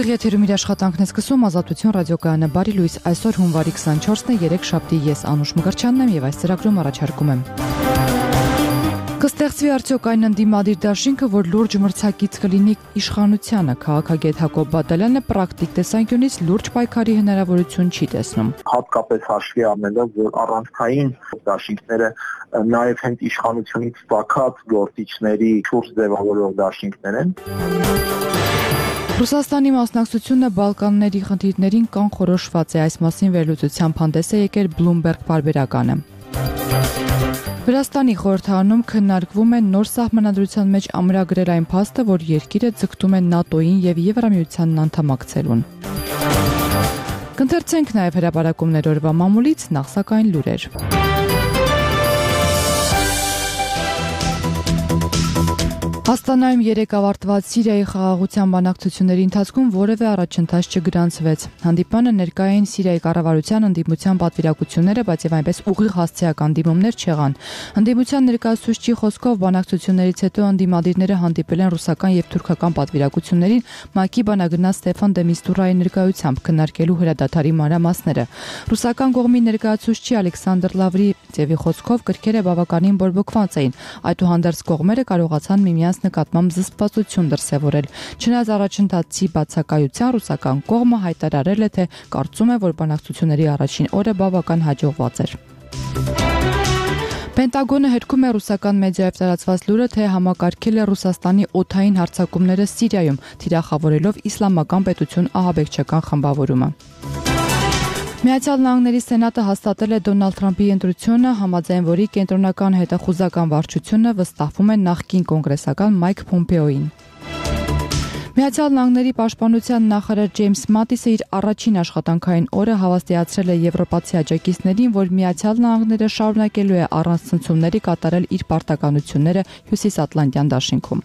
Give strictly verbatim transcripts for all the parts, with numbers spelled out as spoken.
Ուղիղ եթերում իր աշխատանքն է սկսում Ազատություն ռադիոկայանը բարի լույս այսօր հունվարի քսանչորսն է երեք շաբթի ես Անուշ Մկրտչյանն եմ եւ այս ծրագրում առաջարկում եմ Կստեղծվի արդյոք այն ընդդիմադիր դաշինքը, որ լուրջ մրցակից կլինի իշխանությանը, քաղաքագետ Հակոբ Բադալյանը պրակտիկ տեսանկյունից լուրջ պայքարի հնարավորություն չի տեսնում։ Հատկապես հաշվի առնելով, որ առանցքային դաշինքները նաև հենց իշխանությունից ծագած գործիչների շուրջ ձևավորող դաշինքներ են։ Ռուսաստանի մասնակցությունը Բալկանների խնդիրներին կանխորոշված է, այս մասին վերլուծությամբ հանդես է եկել Bloomberg պարբերականը։ Վրաստանի խորհրդարանում քննարկվում է նոր սահմանադրության մեջ ամրագրել այն փաստը, որ երկիրը ձգտում է ՆԱՏՕ-ին եւ Եվրամիությանն անդամակցելուն։ Կընթերցենք նաեւ հրապարակումներ օրվա մամուլից, նախ սակայն լուրեր։ Աստանայում երեկ ավարտված Սիրիայի խաղաղության բանակցությունների ընթացքում որևէ առաջընթաց չգրանցվեց։ Հանդիպանը ներկայ էին Սիրիայի կառավարության ընդդիմության պատվիրակությունները, բայց եւ այնպես ուղիղ հասցեական դիմումներ չեղան։ Ընդդիմության ներկայացուցչի խոսքով բանակցություններից հետո ընդդիմադիրները հանդիպել են ռուսական եւ թուրքական պատվիրակություններին ՄԱԿ-ի բանագնաց Ստեփան դե Միստուրայի ներկայությամբ քննարկելու հրադադարի մանրամասները։ Ռուսական կողմի ներկայացուցչի Ալեքսանդր Լավրիևի խոսքով կրքերը բավականին բորբոքված էին։ Այդուհանդերձ կողմերը կարողացան միմյանց նկատմամբ զսպվածություն դրսևորել։ Չնայած առաջընթացի բացակայության ռուսական կողմը հայտարարել է, թե կարծում է, որ բանակցությունների առաջին օրը բավական հաջողված էր։ Պենտագոնը հերքում է ռուսական մեդիայով տարածված լուրը, թե համակարգել է Ռուսաստանի օդային հարձակումները Սիրիայում, թիրախավորելով Իսլամական պետություն ահաբեկչական խմբավորումը։ Միացյալ Նահանգների Սենատը հաստատել է Դոնալդ Թրամփի ընտրությունը, համաձայն որի կենտրոնական հետախուզական վարչությունը վստահվում է նախկին կոնգրեսական Մայք Փոմպեոին։ Միացյալ Նահանգների պաշտպանության նախարար Ջեյմս Մատիսը իր առաջին աշխատանքային օրը հավաստիացրել է եվրոպացի աջակիցներին, որ Միացյալ Նահանգները շարունակելու է առանց ցնցումների կատարել իր պարտականությունները Հյուսիսատլանտյան դաշինքում։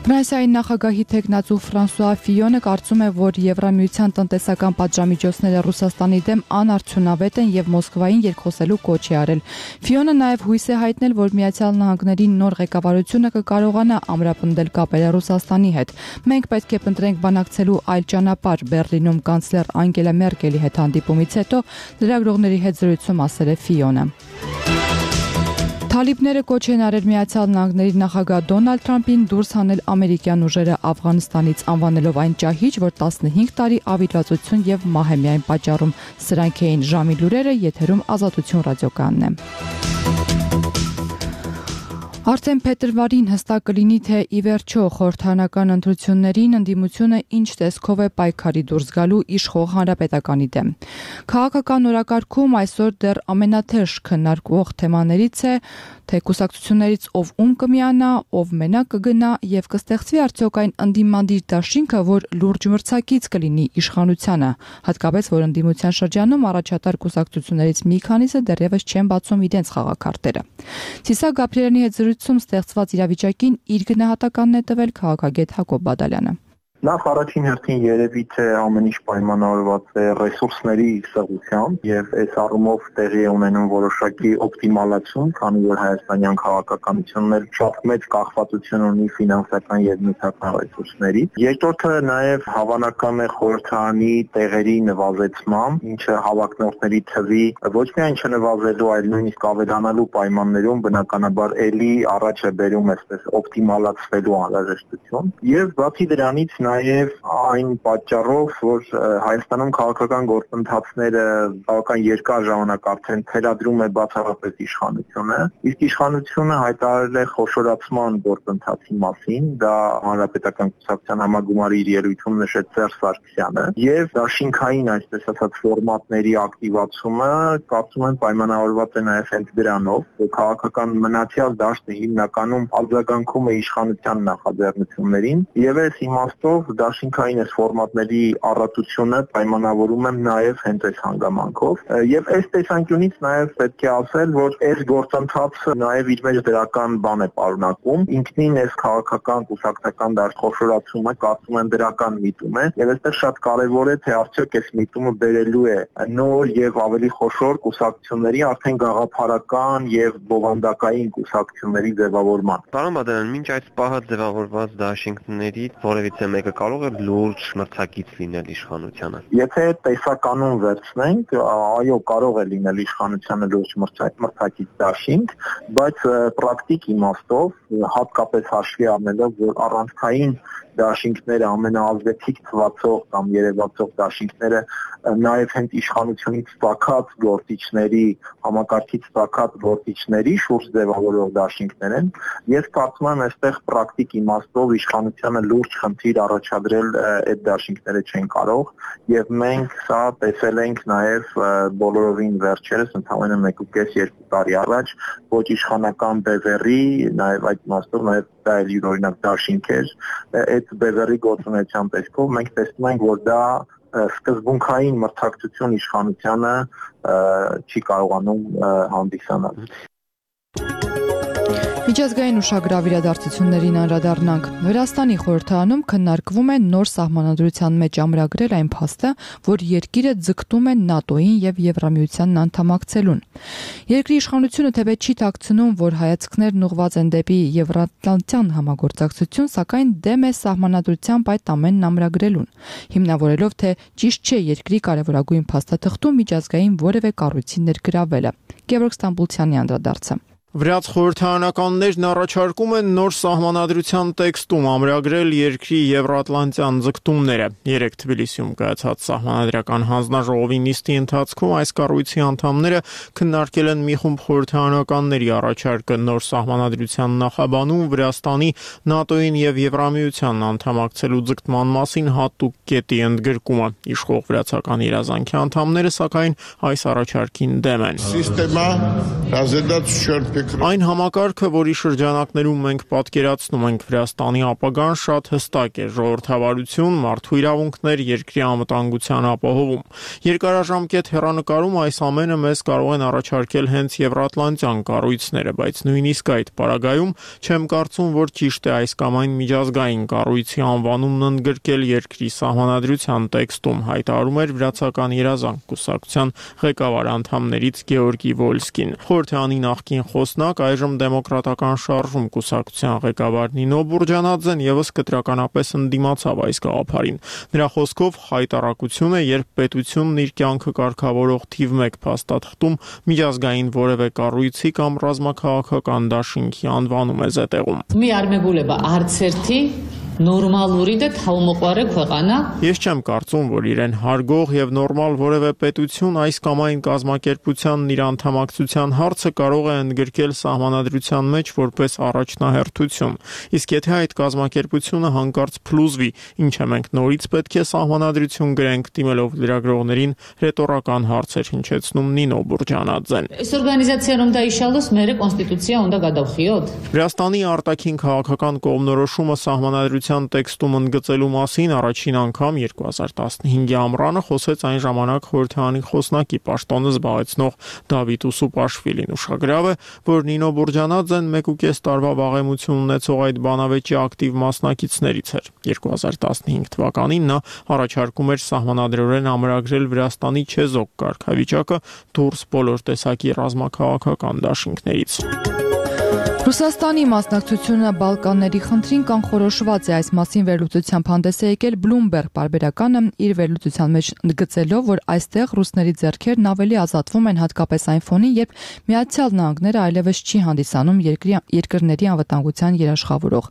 Ֆրանսիայի նախագահի թեկնածու Ֆրանսուଆ Ֆիոնը կարծում է, որ Եվրամիության տնտեսական պատժամիջոցները Ռուսաստանի դեմ անարդյունավետ են եւ Մոսկվային երկխոսելու կոչ է արել։ Ֆիոնը նաեւ հույս է հայտնել, որ Միացյալ Նահանգների նոր ղեկավարությունը կկարողանա ամրապնդել կապերը Ռուսաստանի հետ։ Մենք պետք է փնտրենք բանակցելու այլ ճանապարհ, Բեռլինում կանցլեր Անգելա Մերկելի հետ հանդիպումից հետո լրագրողների հետ զրույցում ասել է Ֆիոնը։ Թալիբները կոչ են արել Միացյալ Նահանգների նախագահ Դոնալդ Թրամփին դուրս հանել ամերիկյան ուժերը Աֆղանստանից, անվանելով այն ճահիճ, որ տասնհինգ տարի ավիրվածություն եւ մահ է միայն պատճառում։ Սրանք էին ժամի լուրերը, եթերում Ազատություն ռադիոկայանն է։ Արդեն փետրվարին հստակ կլինի, թե ի վերջո խորհրդարանական ընտրություններին ընդդիմությունը ինչ տեսքով է պայքարի դուրս գալու իշխող հանրապետականի դեմ։ Քաղաքական օրակարգում այսօր դեռ ամենաթեժ քննարկվող թեմաներից է, թե կուսակցություններից ով ում կմիանա, ով մենակ կգնա եւ կստեղծվի արդյոք այն ընդդիմադիր դաշինքը, որ լուրջ մրցակից կլինի իշխանությանը, հատկապես որ ընդդիմության շրջանում առաջատար կուսակցություններից մի քանիսը դեռևս չեն բացում իրենց խաղակարտերը։ Ցիսակ Գաբրիելյանի հետ զրույցում ստեղծված իրավիճակին իր գնահատականն է տվել քաղաքագետ Հակոբ Բադալյանը։ Նախ առաջին հերթին երևի թե ամեն ինչ պայմանավորված է ռեսուրսների սղությամբ եւ այս առումով տեղի է ունենում որոշակի օպտիմալացում, քանի որ հայաստանյան քաղաքականությունն էլ շատ մեծ կախվածություն ունի ֆինանսական եւ նյութական ռեսուրսներից։ Երկրորդը նաեւ հավանական է խորհրդարանի տեղերի նվազեցմամբ, ինչը հավակնորդների թվի ոչ միայն չնվազելու, այլ նույնիսկ ավելանալու պայմաններում բնականաբար ելի առաջ է բերում այսպես օպտիմալացվելու անհրաժեշտություն։ Եվ բացի դրանից նաև այն պատճառով, որ Հայաստանում քաղաքական գործընթացները բավական երկար ժամանակ արդեն թելադրում է բացառապես իշխանությունը, իսկ իշխանությունը հայտարարել է խոշորացման գործընթացի մասին, դա հանրապետական կուսակցության համագումարի իր ելույթում նշեց Սերժ Սարգսյանը, եւ դաշինքային, այսպես ասած, ֆորմատների ակտիվացումը կարծում եմ պայմանավորված է նաև հենց դրանով, որ քաղաքական մնացյալ դաշտը հիմնականում արձագանքում է իշխանության նախաձեռնություններին, եւ այս իմաստով դաշինքային այս ֆորմատների առատությունը պայմանավորում եմ նաև հենց այս հանգամանքով եւ այս տեսանկյունից նաև պետք է ասել, որ այս գործընթացը նաև իր մեջ դրական բան է պարունակում, ինքնին այս քաղաքական կուսակցական դաշտխոշորացումը կարծում եմ դրական միտում է եւ այստեղ շատ կարեւոր է թե արդյոք այս միտումը բերելու է նոր եւ ավելի խոշոր կուսակցությունների արդեն գաղափարական եւ բովանդակային կուսակցությունների ձևավորման։ Պարոն Բադալյան, մինչ այդ պահը ձևավորված դաշինքներից որևիցե մեկը որևէ կարող է լուրջ մրցակից լինել իշխանությանը։ Եթե տեսականուն վերցնենք, այո, կարող է լինել իշխանությանը լուրջ մրցակից դաշինք, բայց պրակտիկ իմաստով հատկապես հաշվի առնելով, որ առանցքային դաշինքները ամենաազդեցիկ թվացող կամ երևացող դաշինքները նաև հենց իշխանությունից ստակած գործիչների, համակարգից ստակած գործիչների շուրջ ձևավորող դաշինքներ են, ես կարծում եմ այստեղ պրակտիկ իմաստով իշխանությանը լուրջ խնդիր առաջադրել այդ դաշինքները չեն կարող եւ մենք սա տեսել ենք նաև բոլորովին վերջերս ընդհանրապես մեկ ու կես երկու տարի առաջ ոչ իշխանական բևեռի, նաև այդ իմաստով նաև դա էլ յուրօրինակ դաշինք էր, այդ բևեռի գործունեության տեսքով մենք տեսնում ենք, որ դա սկզբունքային մրցակցություն իշխանությանը չի կարողանում հանդիսանալ։ Միջազգային ուշագրավ իրադարձություններին անդրադառնանք։ Վրաստանի խորհրդարանում քննարկվում է նոր սահմանադրության մեջ ամրագրել այն փաստը, որ երկիրը ձգտում է ՆԱՏՕ-ին եւ Եվրամիությանն անդամակցելուն։ Երկրի իշխանությունը թեպետ չի թաքցնում, որ հայացքներն ուղղված են դեպի Եվրատլանտյան համագործակցություն, սակայն դեմ է սահմանադրությամբ այդ ամենն ամրագրելուն, հիմնավորելով, թե ճիշտ չէ երկրի կարևորագույն փաստաթղթում միջազգային որևէ կառույցի ներգրավելը։ Գևորգ Ստամբուլցյանի անդրադարձը։ Վրաց խորհրդարանականներն առաջարկում են նոր սահմանադրության տեքստում ամրագրել երկրի եվրատլանտյան ձգտումները։ Երեկ Թբիլիսիում կայացած սահմանադրական հանձնաժողովի նիստի ընթացքում այս կառույցի անդամները քննարկել են մի խումբ խորհրդարանականների առաջարկը նոր սահմանադրության նախաբանում Վրաստանի ՆԱՏՕ-ին եւ Եվրամիությանն անդամակցելու ձգտման մասին հատուկ կետի ընդգրկումը։ Իշխող վրացական երազանքի անդամները սակայն այս առաջարկին դեմ են։ Այն համակարգը, որի շրջանակներում մենք պատկերացնում ենք Վրաստանի ապագան, շատ հստակ է՝ ժողովրդավարություն, մարդու իրավունքներ, երկրի անվտանգության ապահովում։ Երկարաժամկետ հեռանկարում այս ամենը մեզ կարող են առաջարկել հենց եվրատլանտյան կառույցները, բայց նույնիսկ այդ պարագայում չեմ կարծում, որ ճիշտ է այս կամ այն միջազգային կառույցի անվանումն ընդգրկել երկրի սահմանադրության տեքստում, հայտարարում էր վրացական երազանք կուսակցության ղեկավար անդամներից Գեորգի Վոլսկին։ Խորհրդարանի նախկին խոսնակ, այժմ դեմոկրատական շարժում կուսակցության ղեկավար Նինո Բուրջանաձեն եւս կտրականապես ընդդիմացավ այս գաղափարին։ Նրա խոսքով հայտարարություն է, երբ պետությունն իր կյանքը կարգավորող թիվ մեկ փաստաթղթում միջազգային որևէ կառույցի կամ ռազմաքաղաքական դաշինքի անվանում է զետեղում։ Մի արմեգուլեբա արցերթի նորմալուրի դե թավմոყարե ქვეყանա։ Ես չեմ կարծում, որ իրեն հարգող եւ նորմալ որևէ պետություն այս կամ այն կազմակերպությանն իր անդամակցության հարցը կարող է ընդգրկել սահմանադրության մեջ որպես առաջնահերթություն։ Իսկ եթե այդ կազմակերպությունը հանկարծ փլուզվի, ինչը մենք նորից պետք է սահմանադրություն գրենք, դիմելով լրագրողներին ռետորական հարցեր հնչեցնում Նինո Բուրջանաձեն։ Այս օրգանիզացիայում դա իշալուս մերը կոնստիտուցիա ունდა გადავხիოთ։ Վրաստանի արտաքին քաղաքական կողմնորոշումը սահմանադրության տեքստում ընդգծելու մասին առաջին անգամ երկու հազար տասնհինգի ամռանը խոսեց այն ժամանակ խորհրդարանի խոսնակի պաշտոնը զբաղեցնող Դավիթ Ուսուպաշվիլին։ Ուշագրավ է, որ Նինո Բուրջանաձեն մեկ ու կես տարվա վաղեմություն ունեցող այդ բանավեճի ակտիվ մասնակիցներից էր։ երկու հազար տասնհինգ թվականին նա առաջարկում էր սահմանադրորեն ամրագրել Վրաստանի չեզոք կարգավիճակը դուրս բոլոր տեսակի ռազմաքաղաքական դաշինքներից։ Ռուսաստանի մասնակցությունը Բալկանների խնդրին կանխորոշված է, այս մասին վերլուծությամբ հանդես է եկել Bloomberg պարբերականը իր վերլուծության մեջ ընդգծելով, որ այստեղ ռուսների ձեռքերն ավելի ազատվում են հատկապես այն ֆոնին, երբ Միացյալ Նահանգները այլևս չի հանդիսանում երկրի երկրների անվտանգության երաշխավորող։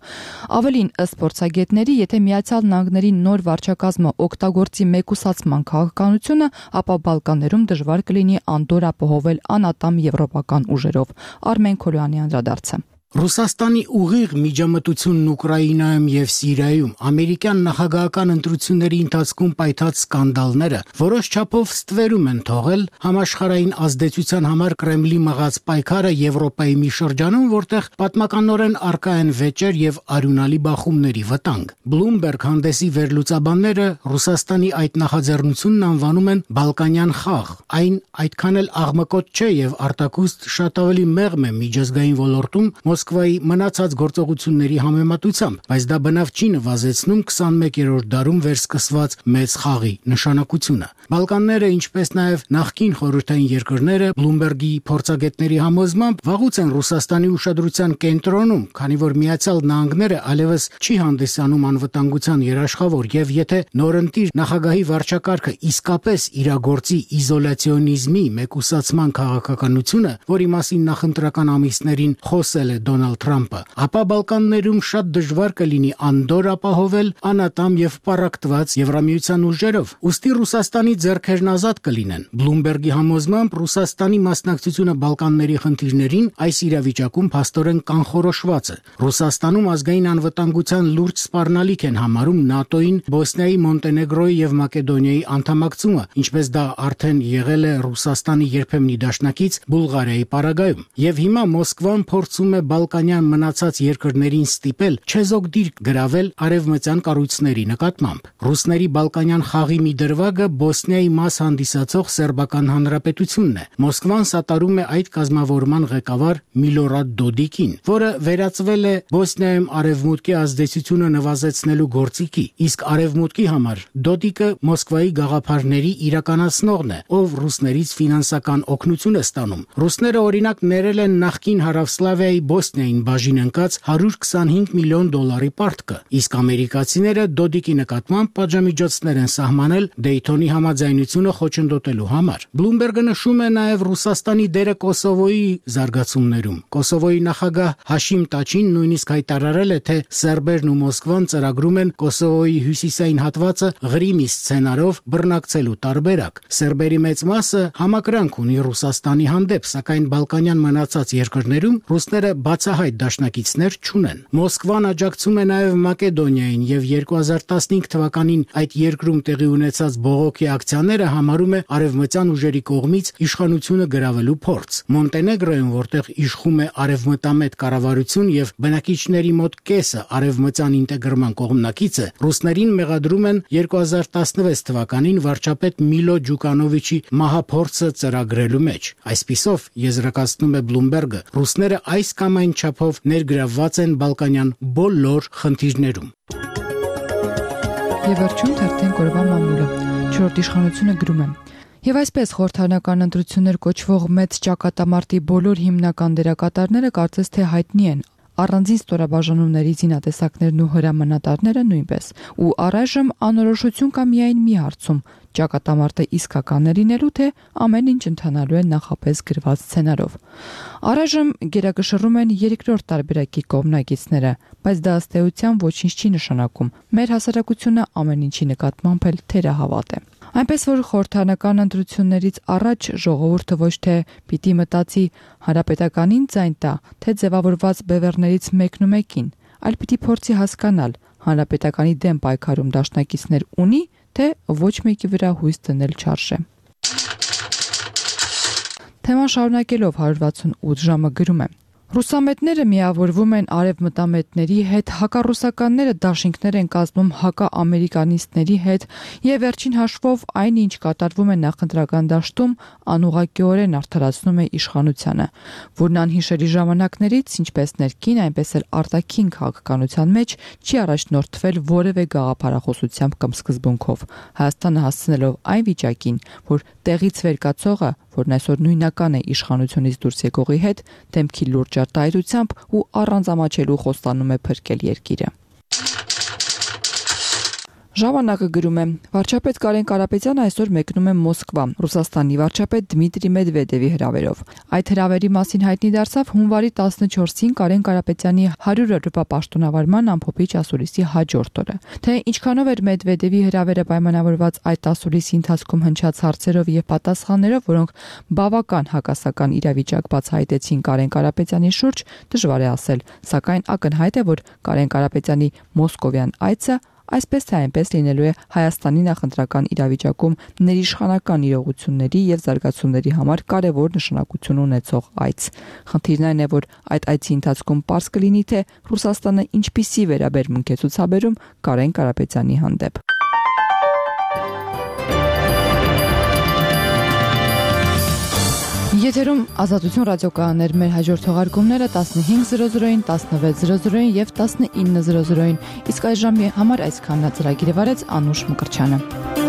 Ավելին, ըստ փորձագետների, եթե Միացյալ Նահանգների նոր վարչակազմը օգտագործի մեկուսացման քաղաքականությունը, ապա Բալկաններում դժվար կլինի Անդոր ապահովել անատամ եվրոպական ուժերով։ Արմեն Քոլյանի անդրադարձը։ Ռուսաստանի ուղիղ միջամտությունն Ուկրաինայում եւ Սիրիայում ամերիկյան նախագահական ընտրությունների ընթացքում պայթած սկանդալները որոշ չափով ստվերում են թողել համաշխարհային ազդեցության համար Կրեմլի մղած պայքարը Եվրոպայի մի շրջանում, որտեղ պատմականորեն առկա են վեճեր եւ արյունալի բախումների վտանգ։ Bloomberg հանդեսի վերլուծաբանները Ռուսաստանի այդ նախաձեռնությունն անվանում են Բալկանյան խաղ։ Այն այդքան էլ աղմկոտ չէ եւ արտակուստ շատ ավելի մեղմ է միջազգային ոլորտում Մոսկվայի մնացած գործողությունների համեմատությամբ, բայց դա բնավ չի նվազեցնում քսանմեկերորդ դարում վերսկսված մեծ խաղի նշանակությունը։ Բալկանները, ինչպես նաև նախկին խորհրդային երկրները, Բլումբերգի փորձագետների համոզմամբ վաղուց են Ռուսաստանի ուշադրության կենտրոնում, քանի որ Միացյալ Նահանգները այլևս չի հանդիսանում անվտանգության երաշխավոր, եւ եթե նորընտիր նախագահի վարչակարգը իսկապես իրագործի իզոլացիոնիզմի մեկուսացման քաղաքականությունը, որի մասին նախընտրական ամիսներին խոսել է Դոնալդ Թրամփը, ապա Բալկաններում շատ դժվար կլինի անդորր ապահովել անատամ եւ պառակտված Եվրամիության ուժերով։ Ուստի Ռուսաստանի ձեռքերն ազատ կլինեն։ Բլումբերգի համոզմամբ Ռուսաստանի մասնակցությունը Բալկանների խնդիրներին այս իրավիճակում փաստորեն կանխորոշված է։ Ռուսաստանում ազգային անվտանգության լուրջ սպառնալիք են համարում ՆԱՏՕ-ին Բոսնիայի, Մոնտենեգրոյի եւ Մակեդոնիայի անդամակցումը, ինչպես դա արդեն եղել է Ռուսաստանի երբեմնի դաշնակից Բուլղարիայի պարագայում։ Եվ հիմա Մոսկվան փորձում է բալկանյան մնացած երկրներին ստիպել չեզոք դիրք գրավել արևմտյան կառույցների նկատմամբ։ Ռուսների բալկանյան խաղի մի դրվագը Բոսնիայի մաս հանդիսացող Սերբական Հանրապետությունն է։ Մոսկվան սատարում է այդ կազմավորման ղեկավար Միլորադ Դոդիկին, որը վերածվել է Բոսնիայում արևմուտքի ազդեցությունը նվազեցնելու գործիքի, իսկ արևմուտքի համար Դոդիկը Մոսկվայի գաղափարների իրականացնողն է, ով ռուսներից ֆինանսական օգնություն է ստանում։ Ռուսները օրինակ ներել են նախկին Հարավսլավիայի Բոսնիային բաժին ընկած հարյուր քսանհինգ միլիոն դոլարի պարտքը, իսկ ամերիկացիները Դոդիկի նկատմամբ պատժամիջոցներ են սահմանել Դեյթոնի համաձայնությունը խոչընդոտելու համար։ Բլումբերգը նշում է նաև Ռուսաստանի դերը Կոսովոյի զարգացումներում։ Կոսովոյի նախագահ Հաշիմ Տաչին նույնիսկ հայտարարել է, թե սերբերն ու Մոսկվան ծրագրում են Կոսովոյի հյուսիսային հատվածը Ղրիմի սցենարով բռնակցելու տարբերակ։ Սերբերի մեծ մասը համակրանք ունի Ռուսաստանի հանդեպ, սակայն բալկանյան մնացած երկրներում ռուսները բացահայտ դաշնակիցներ չունեն։ Մոսկվան աջակցում է նաև Մակեդոնիային եւ երկու հազար տասնհինգ թվականին այդ երկրում տեղի ունեցած բողոքի ակցիաները համարում է արևմտյան ուժերի կողմից իշխանությունը գրավելու փորձ։ Մոնտենեգրոյում, որտեղ իշխում է արևմտամետ կառավարություն եւ բնակիչների մոտ կեսը արևմտյան ինտեգրման կողմնակից է, ռուսներին մեղադրում են երկու հազար տասնվեց թվականին վարչապետ Միլո Ջուկանովիչի մահափորձը ծրագրելու մեջ։ Այսպիսով, եզրակացնում է Բլումբերգը, ռուսները այս կամ այն չափով ներգրավված են բալկանյան բոլոր խնդիրներում։ Եվ վերջում թերթեն կորվա մամուլը։ Չորրորդ իշխանությունը գրում է. Եվ այսպես խորհրդարանական ընտրություններ կոչվող մեծ ճակատամարտի բոլոր հիմնական դերակատարները կարծես թե հայտնի են։ Առանձին ստորաբաժանումների զինատեսակներն ու հրամանատարները նույնպես։ Ու առայժմ անորոշություն կա միայն մի հարցում՝ ճակատամարտը իսկական է լինելու, թե ամեն ինչ ընթանալու է նախապես գրված սցենարով։ Առայժմ գերակշռում են երկրորդ տարբերակի կողմնակիցները, բայց դա ըստ էության ոչինչ չի նշանակում։ Մեր հասարակությունը ամեն ինչի նկատմամբ էլ թերահավատ է։ Այնպես որ խորհրդարանական ընտրություններից առաջ ժողովուրդը ոչ թե պիտի մտածի հանրապետականին ձայն տա, թե ձևավորված բևեռներից մեկն ու մեկին, այլ պիտի փորձի հասկանալ հանրապետականի դեմ պայքարում դաշնակիցներ ունի, թե ոչ մեկի վրա հույս դնել չարժե։ Թեման շարունակելով հարյուր վաթսունութ ժամը գրում է. Ռուսամետները միավորվում են արևմտամետների հետ, հակառուսականները դաշինքներ են կազմում հակաամերիկանիստների հետ եւ վերջին հաշվով այն ինչ կատարվում է նախընտրական դաշտում անուղղակիորեն արդարացնում է իշխանությանը, որն անհիշելի ժամանակներից ինչպես ներքին, այնպես էլ արտաքին քաղաքականության մեջ չի առաջնորդվել որևէ գաղափարախոսությամբ կամ սկզբունքով, Հայաստանը հասցնելով այն վիճակին, որ տեղից վեր կացողը, որն այսօր նույնական է իշխանությունից դուրս եկողի հետ, դեմքի լուրջ արտահայտությամբ ու առանց ամաչելու խոստանում է փրկել երկիրը։ Ժամանակը գրում է. Վարչապետ Կարեն Կարապետյանը այսօր մեկնում է Մոսկվա, Ռուսաստանի վարչապետ Դմիտրի Մեդվեդևի հրավերով։ Այդ հրավերի մասին հայտնի դարձավ հունվարի տասնչորսին Կարեն Կարապետյանի հարյուր օրվա պաշտոնավարման ամփոփիչ ասուլիսի հաջորդ օրը։ Թե ինչքանով էր Մեդվեդևի հրավերը պայմանավորված այդ ասուլիսի ընթացքում հնչած հարցերով եւ պատասխաններով, որոնք բավական հակասական իրավիճակ բացահայտեցին Կարեն Կարապետյանի շուրջ, դժվար է ասել, սակայն ակնհայտ է, որ Կարեն Կարապետյանի մոսկովյան այցը այսպես թե այնպես լինելու է Հայաստանի նախընտրական իրավիճակում ներիշխանական իրողությունների եւ զարգացումների համար կարևոր նշանակություն ունեցող այց։ Խնդիրն այն է, որ այդ այցի ընթացքում պարզ կլինի, թե Ռուսաստանը ինչպիսի վերաբերմունք է ցուցաբերում Կարեն Կարապետյանի հանդեպ։ Եթերում Ազատություն ռադիոկայաններ, մեր հաջորդ թողարկումները տասնհինգ զրո զրոին, տասնվեց զրո զրոին եւ տասնինը զրո զրոին։ Իսկ այժմ համար այսքանն է, ծրագիրը վարեց Անուշ Մկրտչյանը։